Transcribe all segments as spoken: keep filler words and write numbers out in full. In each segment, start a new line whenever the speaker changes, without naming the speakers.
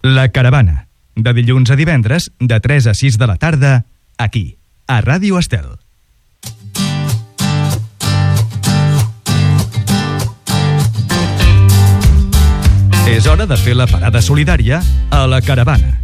La Caravana, de dilluns a divendres, de tres a sis de la tarda, aquí, a Ràdio Estel. És hora de fer la parada solidària a La Caravana.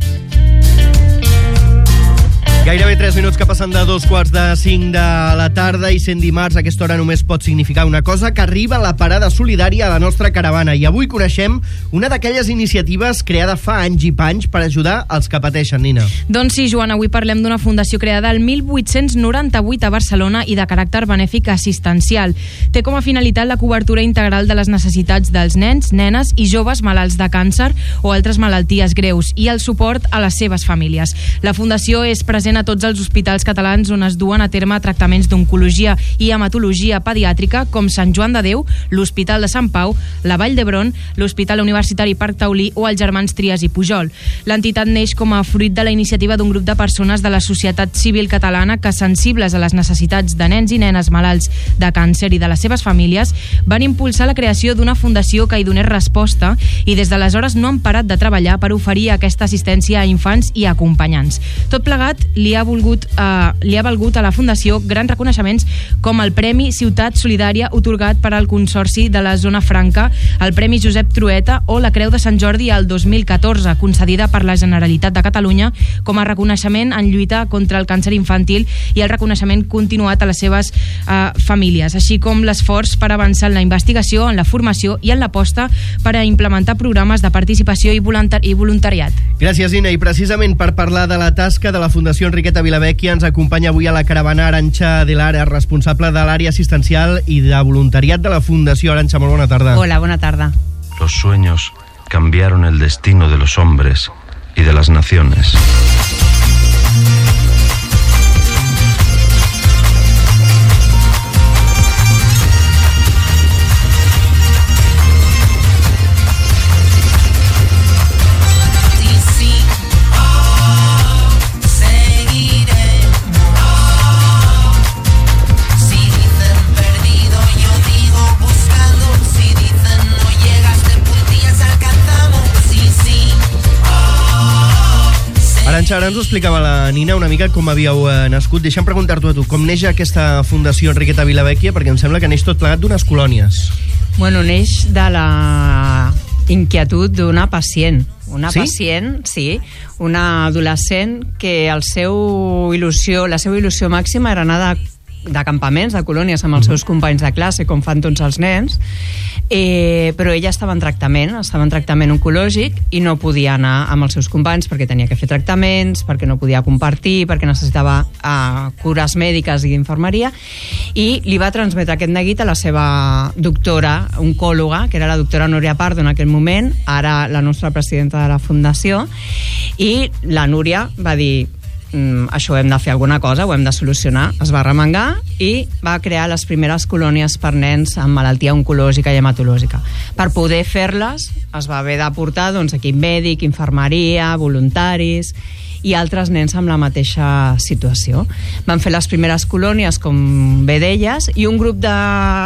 Gairebé tres minuts que passen de dos quarts de cinc de la tarda i sent dimarts a aquesta hora només pot significar una cosa, que arriba la parada solidària a la nostra caravana. I avui coneixem una d'aquelles iniciatives creada fa anys i panys per ajudar els que pateixen, Nina.
Doncs sí, Joan, avui parlem d'una fundació creada el mil vuit-cents noranta-vuit a Barcelona i de caràcter benèfic assistencial. Té com a finalitat la cobertura integral de les necessitats dels nens, nenes i joves malalts de càncer o altres malalties greus i el suport a les seves famílies. La fundació és present a tots els hospitals catalans on es duen a terme tractaments d'oncologia i hematologia pediàtrica com Sant Joan de Déu, l'Hospital de Sant Pau, la Vall d'Hebron, l'Hospital Universitari Parc Taulí o els Germans Trias i Pujol. L'entitat neix com a fruit de la iniciativa d'un grup de persones de la societat civil catalana que, sensibles a les necessitats de nens i nenes malalts de càncer i de les seves famílies, van impulsar la creació d'una fundació que hi donés resposta i des d'aleshores no han parat de treballar per oferir aquesta assistència a infants i acompanyants. Tot plegat li ha volgut, eh, li ha valgut a la Fundació grans reconeixements com el Premi Ciutat Solidària otorgat per al Consorci de la Zona Franca, el Premi Josep Trueta o la Creu de Sant Jordi el dos mil catorze, concedida per la Generalitat de Catalunya com a reconeixement en lluita contra el càncer infantil i el reconeixement continuat a les seves eh, famílies, així com l'esforç per avançar en la investigació, en la formació i en l'aposta per a implementar programes de participació i, voluntari i voluntariat.
Gràcies, Nina. I precisament per parlar de la tasca de la Fundació Enriqueta Vilavecchia ens acompanya avui a la caravana Arantxa de Lara, responsable de l'àrea assistencial i de voluntariat de la Fundació. Arantxa, molt bona tarda.
Hola, bona tarda.
Los sueños cambiaron el destino de los hombres y de las naciones.
Arantxa, ara ens ho explicava la Nina una mica com havíeu eh, nascut. Deixa'm preguntar-t'ho a tu, com neix aquesta Fundació Enriqueta Vilavecchia? Perquè em sembla que neix tot plegat d'unes colònies.
Bueno, neix de la inquietud d'una pacient. Una
sí?
pacient, sí, una adolescent que el seu il·lusió, la seva il·lusió màxima era anar de de campaments, de colònies amb els seus companys de classe, com fan tots els nens, eh, però ella estava en tractament, estava en tractament oncològic i no podia anar amb els seus companys perquè tenia que fer tractaments, perquè no podia compartir, perquè necessitava eh, cures mèdiques i d'infermeria, i li va transmetre aquest neguit a la seva doctora oncòloga, que era la doctora Núria Pardo en aquell moment, ara la nostra presidenta de la Fundació, i la Núria va dir: Mm, això ho hem de fer alguna cosa, ho hem de solucionar. Es va remengar i va crear les primeres colònies per nens amb malaltia oncològica i hematològica. Per poder fer-les es va haver d'aportar doncs, equip mèdic, infermeria, voluntaris i altres nens amb la mateixa situació. Van fer les primeres colònies, com bé deies, i un grup de...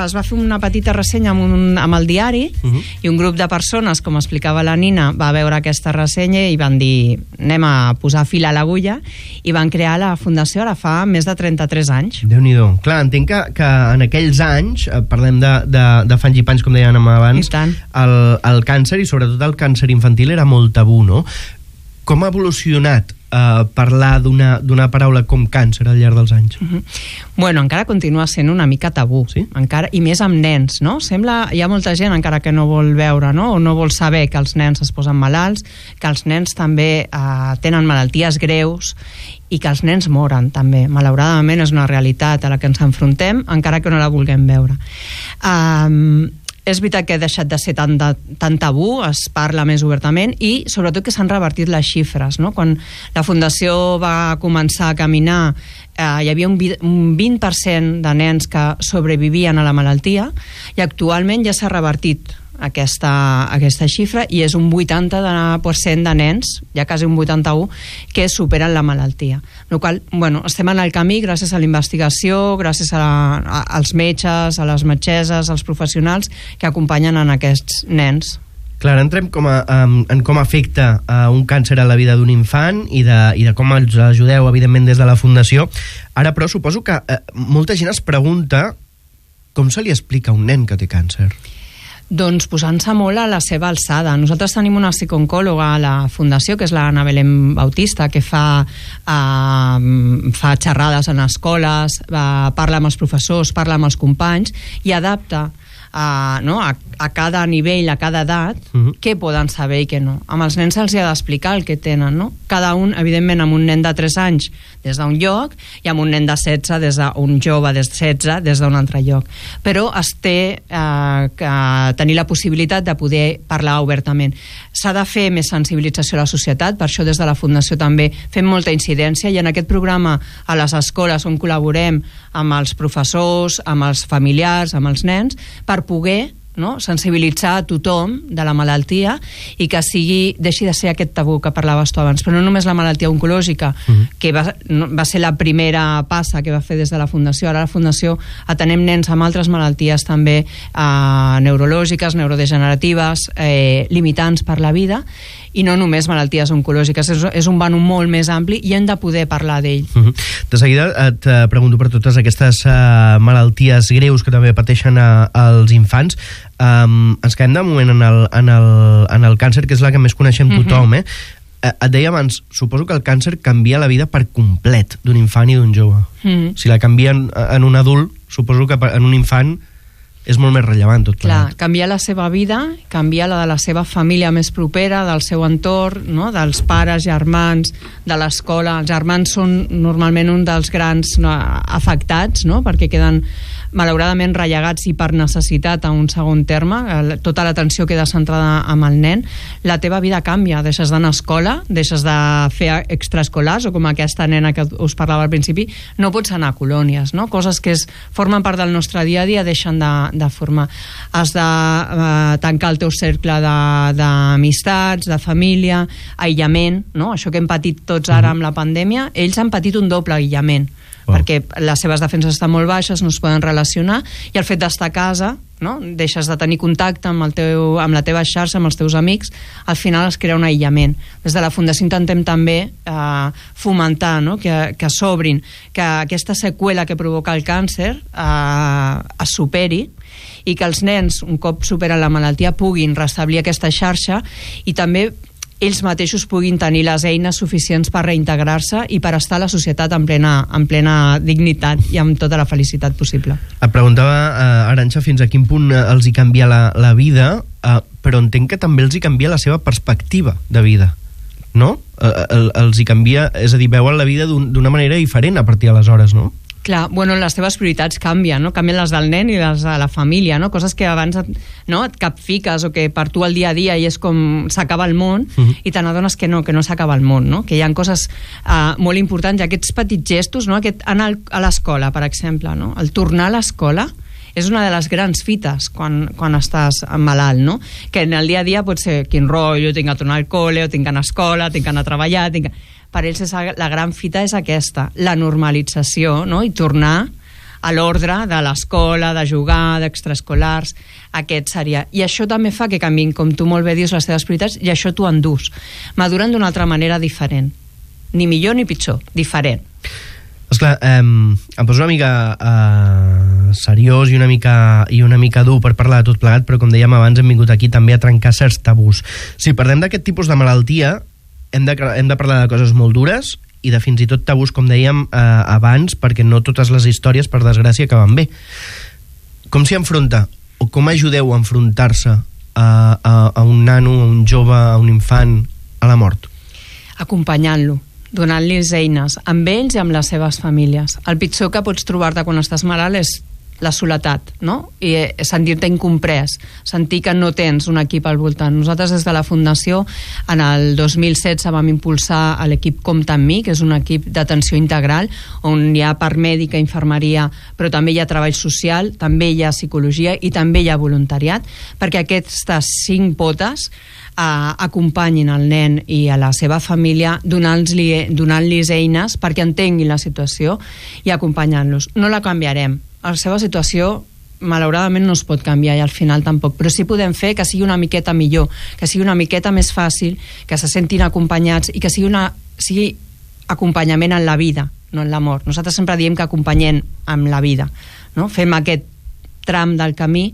es va fer una petita ressenya amb, un, amb el diari, uh-huh. i un grup de persones, com explicava la Nina, va veure aquesta ressenya i van dir: anem a posar fil a l'agulla, i van crear la Fundació ara fa més de trenta-tres anys.
Déu-n'hi-do. Clar, entenc que, que en aquells anys, parlem de, de, de fanys i panys, com dèiem abans, el, el càncer, i sobretot el càncer infantil, era molt tabú, no? Com ha evolucionat Uh, parlar d'una d'una paraula com càncer al llarg dels anys?
Uh-huh. Bueno, encara continua sent una mica tabú,
sí?
encara, i més amb nens, no? Sembla, hi ha molta gent encara que no vol veure, no? O no vol saber que els nens es posen malalts, que els nens també uh, tenen malalties greus i que els nens moren també. Malauradament és una realitat a la que ens enfrontem, encara que no la vulguem veure. Um, És veritat que ha deixat de ser tan, de, tan tabú, es parla més obertament, i sobretot que s'han revertit les xifres, no? Quan la Fundació va començar a caminar, eh, hi havia un, un vint per cent de nens que sobrevivien a la malaltia, i actualment ja s'ha revertit aquesta, aquesta xifra, i és un vuitanta per cent de nens, ja quasi un vuitanta-u, que superen la malaltia. El qual, bueno, estem en el camí gràcies a la investigació, gràcies a, la, a als metges, a les metgesses, als professionals que acompanyen en aquests nens.
Clar, entrem com a, um, en com afecta uh, un càncer a la vida d'un infant i de, i de com els ajudeu, evidentment, des de la Fundació. Ara, però, suposo que uh, molta gent es pregunta com se li explica a un nen que té càncer.
Doncs posant-se molt a la seva alçada. Nosaltres tenim una psicooncòloga a la Fundació, que és la Ana Belén Bautista, que fa, uh, fa xerrades en escoles, uh, parla amb els professors, parla amb els companys i adapta a, no, a, a cada nivell, a cada edat, uh-huh. què poden saber i què no. Amb els nens se'ls ha d'explicar el que tenen, no? Cada un, evidentment, amb un nen de tres anys des d'un lloc i amb un nen de setze des d'un jove de setze des d'un altre lloc. Però es té eh, que tenir la possibilitat de poder parlar obertament. S'ha de fer més sensibilització a la societat, per això des de la Fundació també fem molta incidència, i en aquest programa a les escoles on col·laborem amb els professors, amb els familiars, amb els nens, per poder, no, sensibilitzar a tothom de la malaltia i que sigui, deixi de ser aquest tabú que parlaves tu abans, però no només la malaltia oncològica, uh-huh. que va, no, va ser la primera passa que va fer des de la Fundació. Ara la Fundació atenem nens amb altres malalties també eh, neurològiques, neurodegeneratives, eh, limitants per la vida, i no només malalties oncològiques. És, és un vano molt més ampli i hem de poder parlar d'ell.
Uh-huh. De seguida et pregunto per totes aquestes uh, malalties greus que també pateixen uh, els infants. Um, ens quedem de moment en el, en, el, en el càncer, que és la que més coneixem tothom, uh-huh. eh? Et deia abans, suposo que el càncer canvia la vida per complet d'un infant i d'un jove. Uh-huh. Si la canvien en un adult, suposo que en un infant és molt més rellevant tot plegat.
Clar, canviar la seva vida, canviar la de la seva família més propera, del seu entorn, no? Dels pares, germans, de l'escola. Els germans són normalment un dels grans no, afectats, no? Perquè queden malauradament rellegats i per necessitat a un segon terme, tota l'atenció queda centrada amb el nen. La teva vida canvia, deixes d'anar a escola, deixes de fer extraescolars, o com aquesta nena que us parlava al principi, no pots anar a colònies, no? Coses que es, formen part del nostre dia a dia deixen de, de formar. Has de eh, tancar el teu cercle d'amistats, de, de família, aïllament, no? Això que hem patit tots ara amb la pandèmia, ells han patit un doble aïllament. Wow. Perquè les seves defenses estan molt baixes, no es poden relacionar, i el fet d'estar a casa, no? Deixes de tenir contacte amb, el teu, amb la teva xarxa, amb els teus amics, al final es crea un aïllament. Des de la Fundació intentem també eh, fomentar, no? que, que s'obrin, que aquesta seqüela que provoca el càncer eh, es superi, i que els nens, un cop superen la malaltia, puguin restablir aquesta xarxa i també ells mateixos puguin tenir les eines suficients per reintegrar-se i per estar a la societat en plena, en plena dignitat i amb tota la felicitat possible.
Et preguntava, uh, Arantxa, fins a quin punt uh, els hi canvia la, la vida, uh, però entenc que també els hi canvia la seva perspectiva de vida, no? Uh, el, els hi canvia, és a dir, veuen la vida d'una un, manera diferent a partir d'aleshores, no?
Clar, bueno, les teves prioritats canvien, no? Canvien les del nen i les de la família, no? Coses que abans et, no, et capfiques o que per tu el dia a dia i és com s'acaba el món, uh-huh. i te n'adones que no, que no s'acaba el món, no? Que hi ha coses uh, molt importants, i aquests petits gestos, no? Aquest anar a l'escola, per exemple, no? El tornar a l'escola és una de les grans fites quan, quan estàs malalt, no? Que en el dia a dia pot ser quin rotllo, tinc que tornar al col·le, o tinc que anar a escola, tinc que anar a treballar, tinc que... Per ells és, la gran fita és aquesta, la normalització, no? I tornar a l'ordre de l'escola, de jugar, d'extraescolars, aquest seria. I això també fa que canviïn, com tu molt bé dius, les teves prioritats, i això t'ho endús. Maduren d'una altra manera diferent. Ni millor ni pitjor, diferent.
Esclar, eh, em poso una mica eh, seriós i una mica, i una mica dur per parlar de tot plegat, però com dèiem abans hem vingut aquí també a trencar certs tabús. Si parlem d'aquest tipus de malaltia, hem de, hem de parlar de coses molt dures i de fins i tot tabús, com dèiem eh, abans, perquè no totes les històries, per desgràcia, acaben bé. Com s'hi enfronta, o com ajudeu a enfrontar-se a, a, a un nano, a un jove, a un infant, a la mort?
Acompanyant-lo, donant-los eines, amb ells i amb les seves famílies. El pitjor que pots trobar-te quan estàs malalt és la soledat, no? I sentir-te incomprès, sentir que no tens un equip al voltant. Nosaltres des de la Fundació en el dos mil setze vam impulsar l'equip Compta amb mi, que és un equip d'atenció integral on hi ha part mèdica, infermeria, però també hi ha treball social, també hi ha psicologia i també hi ha voluntariat, perquè aquestes cinc potes Uh, acompanyin el nen i a la seva família donant-li donant-los eines perquè entenguin la situació i acompanyant-los. No la canviarem. La seva situació malauradament no es pot canviar i al final tampoc, però sí podem fer que sigui una miqueta millor, que sigui una miqueta més fàcil, que se sentin acompanyats i que sigui, una, sigui acompanyament en la vida, no en la mort. Nosaltres sempre diem que acompanyem amb la vida, no? Fem aquest tram del camí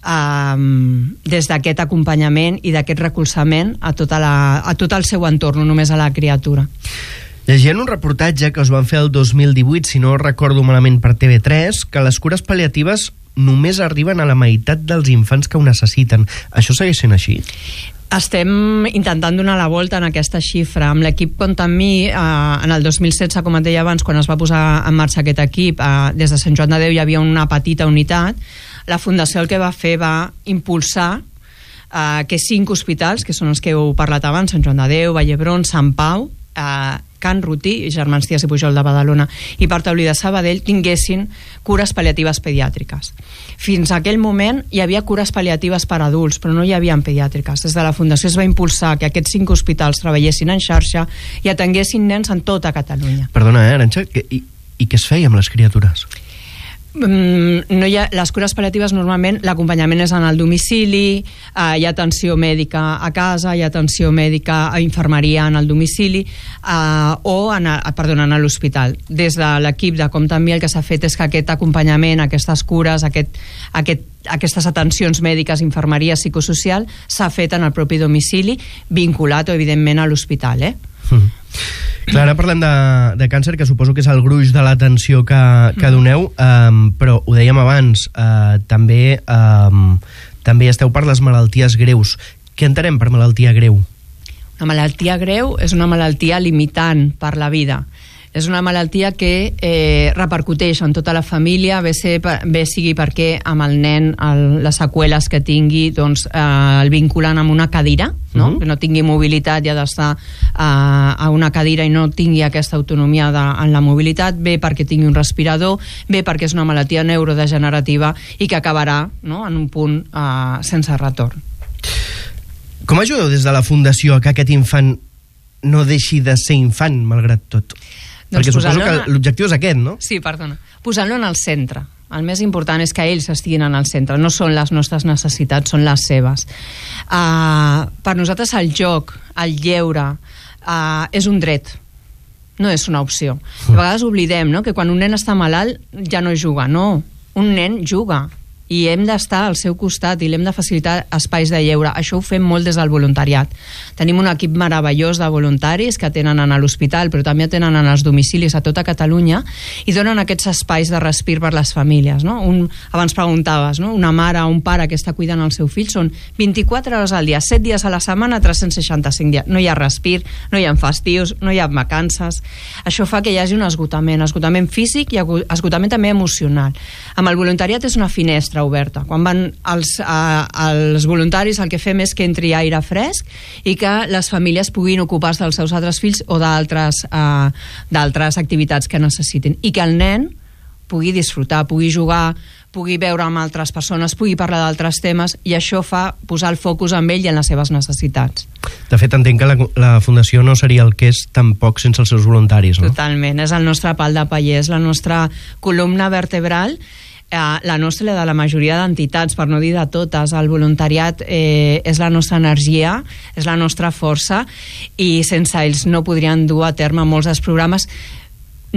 um, des d'aquest acompanyament i d'aquest recolzament a, tota la, a tot el seu entorn, no només a la criatura.
Llegint un reportatge que us van fer el dos mil divuit, si no recordo malament, per T V tres, que les cures pal·liatives només arriben a la meitat dels infants que ho necessiten. Això segueix sent així?
Estem intentant donar la volta en aquesta xifra. Amb l'equip Compta amb mi, eh, en el dos mil setze, com et deia abans, quan es va posar en marxa aquest equip, eh, des de Sant Joan de Déu hi havia una petita unitat. La Fundació el que va fer va impulsar eh, que cinc hospitals, que són els que heu parlat abans, Sant Joan de Déu, Vallebron, Sant Pau, eh, Can Rutí, Germans Trias i Pujol de Badalona i Parc Taulí de Sabadell tinguessin cures pal·liatives pediàtriques. Fins a aquell moment hi havia cures pal·liatives per adults, però no hi havia pediàtriques. Des de la Fundació es va impulsar que aquests cinc hospitals treballessin en xarxa i atenguessin nens en tota Catalunya.
Perdona, eh, Arantxa, i, i què es feia amb les criatures?
Mm, no hi ha, les cures pal·liatives normalment l'acompanyament és en el domicili, eh, hi ha atenció mèdica a casa, hi ha atenció mèdica a infermeria en el domicili eh, o en, a, perdona, en l'hospital. Des de l'equip de Compta amb mi el que s'ha fet és que aquest acompanyament, aquestes cures, aquest, aquest, aquestes atencions mèdiques, infermeria, psicosocial s'ha fet en el propi domicili, vinculat evidentment a l'hospital, eh?
Mm. Clar, ara parlem de, de càncer, que suposo que és el gruix de l'atenció que, que doneu, um, però ho dèiem abans, uh, també, um, també esteu per les malalties greus. Què entenem per malaltia greu?
Una malaltia greu és una malaltia limitant per la vida. És una malaltia que eh, repercuteix en tota la família, bé, ser, bé sigui perquè amb el nen el, les seqüeles que tingui doncs, eh, el vinculen amb una cadira, no? Mm-hmm. Que no tingui mobilitat i ha d'estar eh, a una cadira i no tingui aquesta autonomia de, en la mobilitat, bé perquè tingui un respirador, bé perquè és una malaltia neurodegenerativa i que acabarà, no?, en un punt eh, sense retorn.
Com ajudeu des de la Fundació a que aquest infant no deixi de ser infant, malgrat tot? Doncs perquè suposo que l'objectiu és aquest, no?
Sí, perdona. Posant-lo en el centre. El més important és que ells estiguin en el centre. No són les nostres necessitats, són les seves. Uh, per nosaltres el joc, el lleure, uh, és un dret. No és una opció. A vegades oblidem, no?, que quan un nen està malalt ja no juga. No, un nen juga. I hem d'estar al seu costat i l'hem de facilitar espais de lleure. Això ho fem molt des del voluntariat. Tenim un equip meravellós de voluntaris que atenen a l'hospital, però també atenen en els domicilis a tota Catalunya i donen aquests espais de respir per les famílies, no? Un, abans preguntaves, no?, una mare o un pare que està cuidant el seu fill, són vint-i-quatre hores al dia, set dies a la setmana, tres-cents seixanta-cinc dies. No hi ha respir, no hi ha festius, no hi ha vacances. Això fa que hi hagi un esgotament, esgotament físic i esgotament també emocional. Amb el voluntariat és una finestra oberta. Quan van els, a, els voluntaris, el que fem és que entri aire fresc i que les famílies puguin ocupar-se dels seus altres fills o d'altres uh, d'altres activitats que necessitin, i que el nen pugui disfrutar, pugui jugar, pugui veure amb altres persones, pugui parlar d'altres temes, i això fa posar el focus en ell i en les seves necessitats.
De fet, entenc que la, la Fundació no seria el que és tampoc sense els seus voluntaris, no?
Totalment, és el nostre pal de paller, és la nostra columna vertebral, la nostra i la de la majoria d'entitats, per no dir de totes. El voluntariat eh, és la nostra energia, és la nostra força, i sense ells no podrien dur a terme molts dels programes,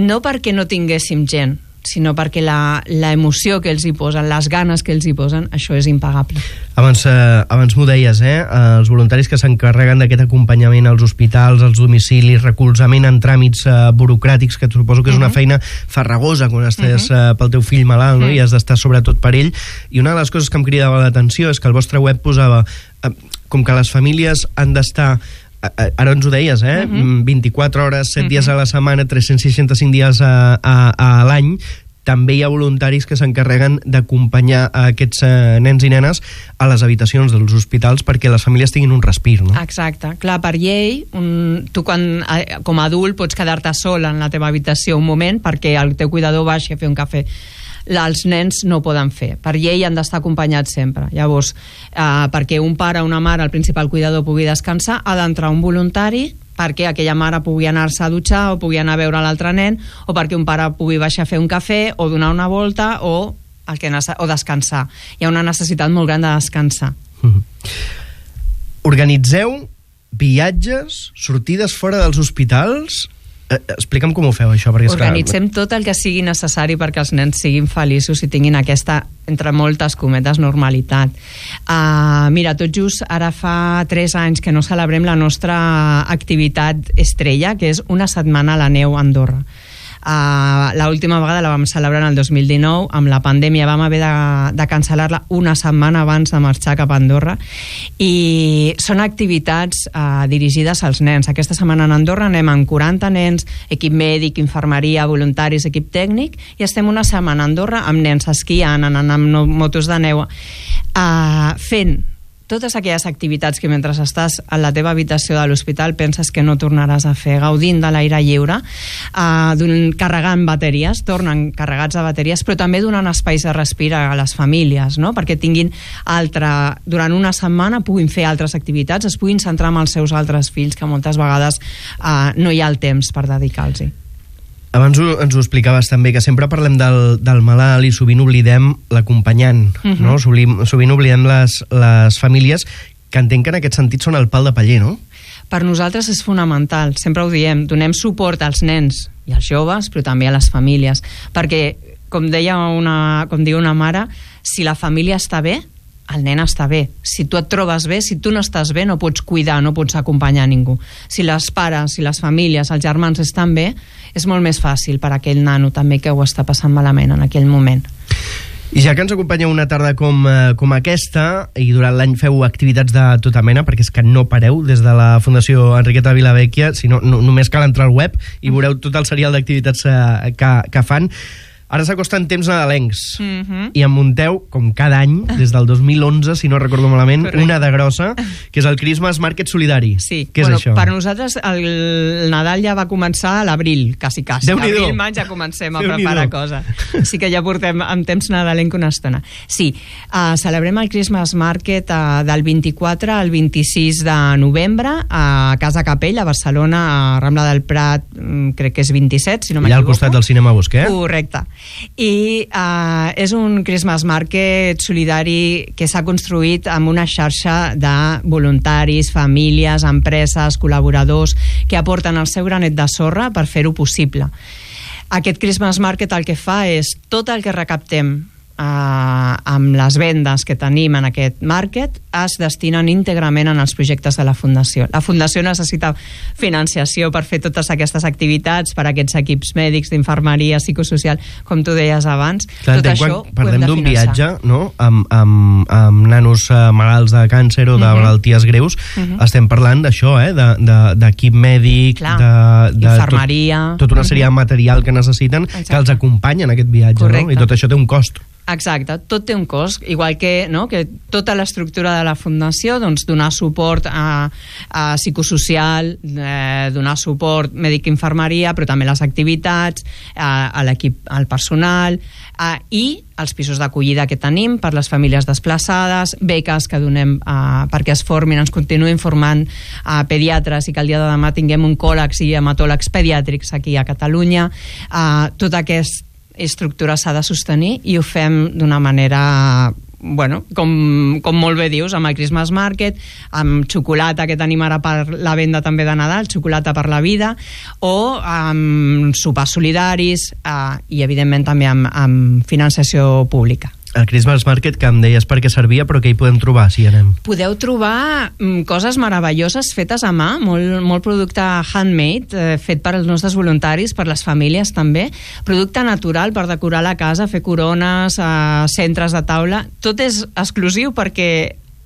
no perquè no tinguéssim gent, sinó perquè la, la emoció que els hi posen, les ganes que els hi posen, això és impagable.
Abans, eh, abans m'ho deies, eh? Els voluntaris que s'encarreguen d'aquest acompanyament als hospitals, als domicilis, recolzament en tràmits eh, burocràtics, que suposo que és una uh-huh. feina farragosa quan estàs uh-huh. eh, pel teu fill malalt, no? Uh-huh. I has d'estar sobretot per ell. I una de les coses que em cridava l'atenció és que el vostre web posava eh, com que les famílies han d'estar, ara ens ho deies, eh? Uh-huh. vint-i-quatre hores, set uh-huh. dies a la setmana, tres-cents seixanta-cinc dies a, a, a l'any. També hi ha voluntaris que s'encarreguen d'acompanyar a aquests eh, nens i nenes a les habitacions dels hospitals perquè les famílies tinguin un respir, no?
Exacte. Clar, per llei, un, tu quan, com a adult pots quedar-te sol en la teva habitació un moment perquè el teu cuidador baixi a fer un cafè. Els nens no ho poden fer. Per llei han d'estar acompanyats sempre. Llavors, eh, perquè un pare o una mare, el principal cuidador, pugui descansar, ha d'entrar un voluntari perquè aquella mare pugui anar-se a dutxar o pugui anar a veure l'altre nen, o perquè un pare pugui baixar a fer un cafè o donar una volta o el que nece- o descansar. Hi ha una necessitat molt gran de descansar.
Mm-hmm. Organitzeu viatges, sortides fora dels hospitals... Eh, explica'm com ho feu, això, perquè...
Organitzem clar... tot el que sigui necessari perquè els nens siguin feliços i tinguin aquesta, entre moltes cometes, normalitat. Uh, mira, tot just ara fa tres anys que no celebrem la nostra activitat estrella, que és una setmana a la neu a Andorra. Uh, l'última vegada la vam celebrar en el dos mil dinou, amb la pandèmia vam haver de, de cancel·lar-la una setmana abans de marxar cap a Andorra, i són activitats uh, dirigides als nens. Aquesta setmana a Andorra anem amb quaranta nens, equip mèdic, infermeria, voluntaris, equip tècnic, i estem una setmana a Andorra amb nens esquiant, anant amb no, motos de neu, uh, fent totes aquelles activitats que mentre estàs a la teva habitació de l'hospital penses que no tornaràs a fer, gaudint de l'aire lliure, uh, carregant bateries, tornen carregats de bateries, però també donant espais de respirar a les famílies, no? Perquè tinguin altra, durant una setmana puguin fer altres activitats, es puguin centrar en els seus altres fills, que moltes vegades uh, no hi ha el temps per dedicar-los-hi.
Abans ho, ens ho explicaves també, que sempre parlem del, del malalt i sovint oblidem l'acompanyant, uh-huh. no? Sovint, sovint oblidem les, les famílies, que entenc que en aquest sentit són el pal de paller, no?
Per nosaltres és fonamental, sempre ho diem, donem suport als nens i als joves, però també a les famílies, perquè, com deia una, com diu una mare, si la família està bé, el nen està bé. Si tu et trobes bé, si tu no estàs bé, no pots cuidar, no pots acompanyar ningú. Si les pares, si les famílies, els germans estan bé, és molt més fàcil per a aquell nano també que ho està passant malament en aquell moment.
I ja que ens acompanyeu una tarda com, eh, com aquesta, i durant l'any feu activitats de tota mena, perquè és que no pareu des de la Fundació Enriqueta Vilavecchia, sinó no, només cal entrar al web i veureu tot el serial d'activitats eh, que, que fan. Ara s'acosten temps nadalencs, mm-hmm. i en munteu, com cada any, des del dos mil onze, si no recordo malament, correcte, una de grossa, que és el Christmas Market Solidari.
Sí,
què
bueno,
és això?
Per nosaltres el Nadal ja va començar a l'abril, quasi quasi. Abril, maig ja comencem a preparar coses. Sí que ja portem amb temps nadalenc una estona. Sí, uh, celebrem el Christmas Market uh, del vint-i-quatre al vint-i-sis de novembre a Casa Capell, a Barcelona, a Rambla del Prat, um, crec que és vint-i-set, si no m'equivoco.
Allà al costat del cinema Bosquet.
Correcte. I uh, és un Christmas Market solidari que s'ha construït amb una xarxa de voluntaris, famílies, empreses, col·laboradors que aporten el seu granet de sorra per fer-ho possible. Aquest Christmas Market el que fa és tot el que recaptem Uh, amb les vendes que tenim en aquest market es destinen íntegrament en els projectes de la Fundació. La Fundació necessita financiació per fer totes aquestes activitats, per a aquests equips mèdics, d'infermeria, psicosocial, com tu deies abans.
Clar, tot això quan parlem d'un viatge, no? amb, amb, amb nanos uh, malalts de càncer o de uh-huh. malalties greus, uh-huh. estem parlant d'això, eh? d'equip de, de mèdic, clar, de, de
infermeria,
tot, tota una sèrie uh-huh. de material que necessiten. Exacte. Que els acompanya en aquest viatge. Correcte. No? I tot això té un cost.
Exacte, tot té un cost, igual que, no, que tota l'estructura de la Fundació, doncs donar suport a, a psicosocial, eh, donar suport mèdic-infermeria, però també les activitats, a, a l'equip, al personal, a, i els pisos d'acollida que tenim per les famílies desplaçades, beques que donem uh, perquè es formin, ens continuïn formant a uh, pediatres i que el dia de demà tinguem oncòlegs i hematòlegs pediàtrics aquí a Catalunya. Uh, tot aquest estructura s'ha de sostenir i ho fem d'una manera, bueno, com, com molt bé dius, amb el Christmas Market, amb xocolata que tenim ara per la venda també de Nadal, xocolata per la vida, o amb sopars solidaris eh, i evidentment també amb, amb financiació pública.
El Christmas Market, que em deies per què servia, però què hi podem trobar si hi anem?
Podeu trobar mm, coses meravelloses fetes a mà, molt, molt producte handmade, eh, fet per als nostres voluntaris, per les famílies també, producte natural per decorar la casa, fer corones, eh, centres de taula, tot és exclusiu perquè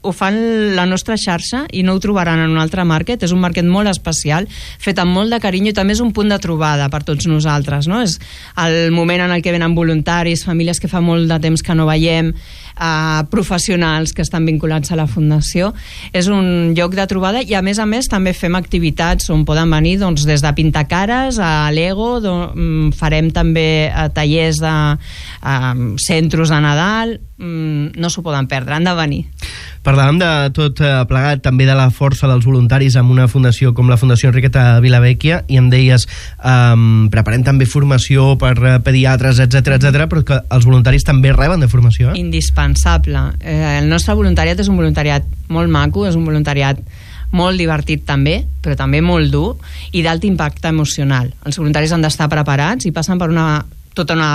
ho fan la nostra xarxa i no ho trobaran en un altre market. És un market molt especial, fet amb molt de carinyo, i també és un punt de trobada per tots nosaltres, no? És el moment en el que venen voluntaris, famílies que fa molt de temps que no veiem, eh, professionals que estan vinculats a la Fundació. És un lloc de trobada i a més a més també fem activitats on poden venir, doncs, des de pintar cares a Lego, do, farem també eh, tallers de eh, centros de Nadal, mmm, no s'ho poden perdre, han de venir.
Parlàvem de tot plegat, també de la força dels voluntaris amb una fundació com la Fundació Enriqueta Vilavecchia, i em deies, um, preparem també formació per pediatres, etcètera, etcètera, però que els voluntaris també reben de formació, eh?
Indispensable. Eh, el nostre voluntariat és un voluntariat molt maco, és un voluntariat molt divertit també, però també molt dur i d'alt impacte emocional. Els voluntaris han d'estar preparats i passen per una, tota una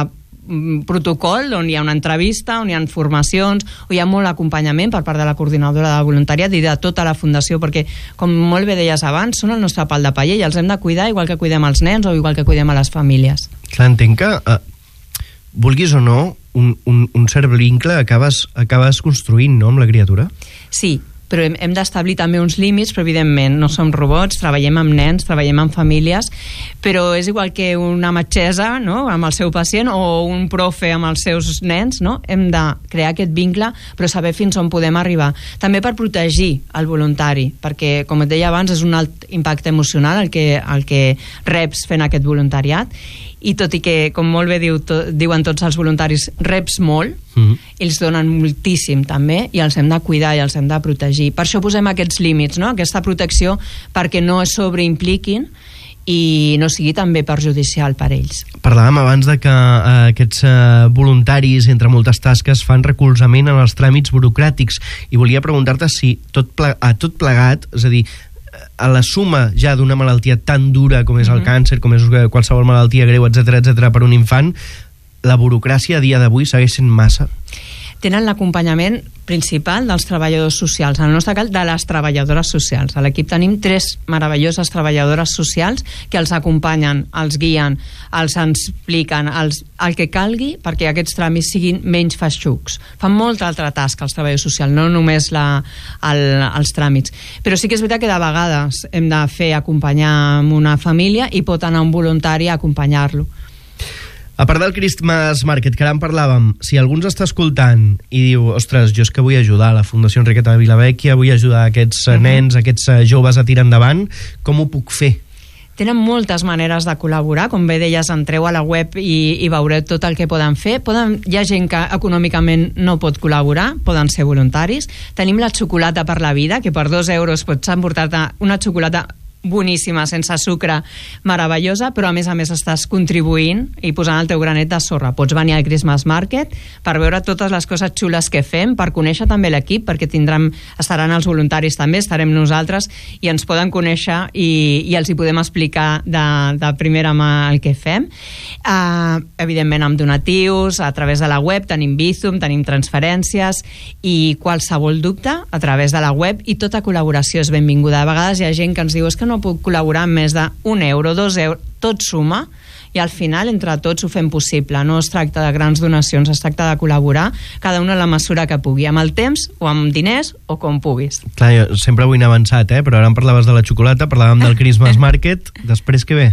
protocol on hi ha una entrevista, on hi ha formacions, on hi ha molt acompanyament per part de la coordinadora de voluntariat i de tota la fundació, perquè, com molt bé deies abans, són el nostre pal de paller i els hem de cuidar igual que cuidem els nens o igual que cuidem a les famílies.
Clar, entenc que, eh, vulguis o no, un, un, un cert vincle acabes, acabes construint, no?, amb la criatura?
Sí, però hem, hem d'establir també uns límits, però evidentment no som robots, treballem amb nens, treballem amb famílies, però és igual que una metgessa, no?, amb el seu pacient, o un profe amb els seus nens, no? Hem de crear aquest vincle, però saber fins on podem arribar. També per protegir el voluntari, perquè, com et deia abans, és un alt impacte emocional el que, el que reps fent aquest voluntariat, i tot i que, com molt bé diu, to, diuen tots els voluntaris, reps molt, mm-hmm. ells donen moltíssim també, i els hem de cuidar i els hem de protegir. Per això posem aquests límits, no?, aquesta protecció, perquè no es sobreimpliquin i no sigui també perjudicial per ells.
Parlàvem abans de que eh, aquests eh, voluntaris, entre moltes tasques, fan recolzament en els tràmits burocràtics, i volia preguntar-te si tot ple, a tot plegat, és a dir, a la suma ja d'una malaltia tan dura com és el mm-hmm. càncer, com és qualsevol malaltia greu, etcètera, etcètera, per un infant, la burocràcia a dia d'avui segueix sent massa?
Tenen l'acompanyament principal dels treballadors socials, en el nostre cas de les treballadores socials. A l'equip tenim tres meravelloses treballadores socials que els acompanyen, els guien, els expliquen els, el que calgui perquè aquests tràmits siguin menys feixucs. Fan molta altra tasca els treballadors socials, no només la, el, els tràmits. Però sí que és veritat que de vegades hem de fer acompanyar amb una família i pot anar un voluntari a acompanyar-lo.
A part del Christmas Market, que ara en parlàvem, si algú ens està escoltant i diu, ostres, jo és que vull ajudar a la Fundació Enriqueta de Vilavecchia, vull ajudar aquests uh-huh. nens, aquests joves a tirar endavant, com ho puc fer?
Tenen moltes maneres de col·laborar, com bé deies, entreu a la web i, i veureu tot el que poden fer. Poden, hi ha gent que econòmicament no pot col·laborar, poden ser voluntaris. Tenim la xocolata per la vida, que per dos euros pots emportar-te una xocolata boníssima, sense sucre, meravellosa, però a més a més estàs contribuint i posant el teu granet de sorra. Pots venir al Christmas Market per veure totes les coses xules que fem, per conèixer també l'equip, perquè tindrem, estaran els voluntaris també, estarem nosaltres i ens poden conèixer i, i els hi podem explicar de, de primera mà el que fem. Uh, evidentment amb donatius, a través de la web tenim Bizum, tenim transferències, i qualsevol dubte a través de la web, i tota col·laboració és benvinguda. A vegades hi ha gent que ens diu, és que no puc col·laborar amb més d'un euro, dos euros, tot suma, i al final entre tots ho fem possible. No es tracta de grans donacions, es tracta de col·laborar cada una a la mesura que pugui, amb el temps o amb diners o com puguis.
Clar, jo sempre vull anar avançat, eh? Però ara em parlaves de la xocolata, parlàvem del Christmas Market, després què ve?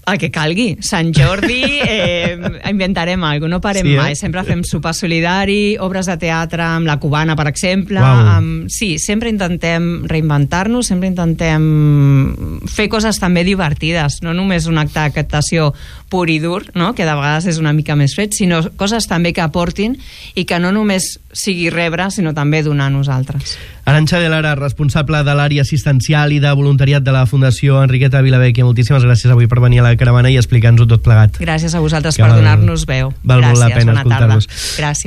El que calgui. Sant Jordi eh, inventarem alguna cosa, no parem sí, eh? mai. Sempre fem sopar solidari, obres de teatre amb la cubana, per exemple.
Wow.
Amb... Sí, sempre intentem reinventar-nos, sempre intentem fer coses també divertides, no només un acte de captació pur i dur, no? Que de vegades és una mica més fred, sinó coses també que aportin i que no només sigui rebre, sinó també donar a nosaltres.
Arantxa de Lara, responsable de l'àrea assistencial i de voluntariat de la Fundació Enriqueta Vilavecchia, moltíssimes gràcies avui per venir a la caravana i explicar-nos-ho tot plegat.
Gràcies a vosaltres que per donar-nos veu.
Val
Gràcies,
molt la pena
bona
escoltar-vos.
tarda. Gràcies.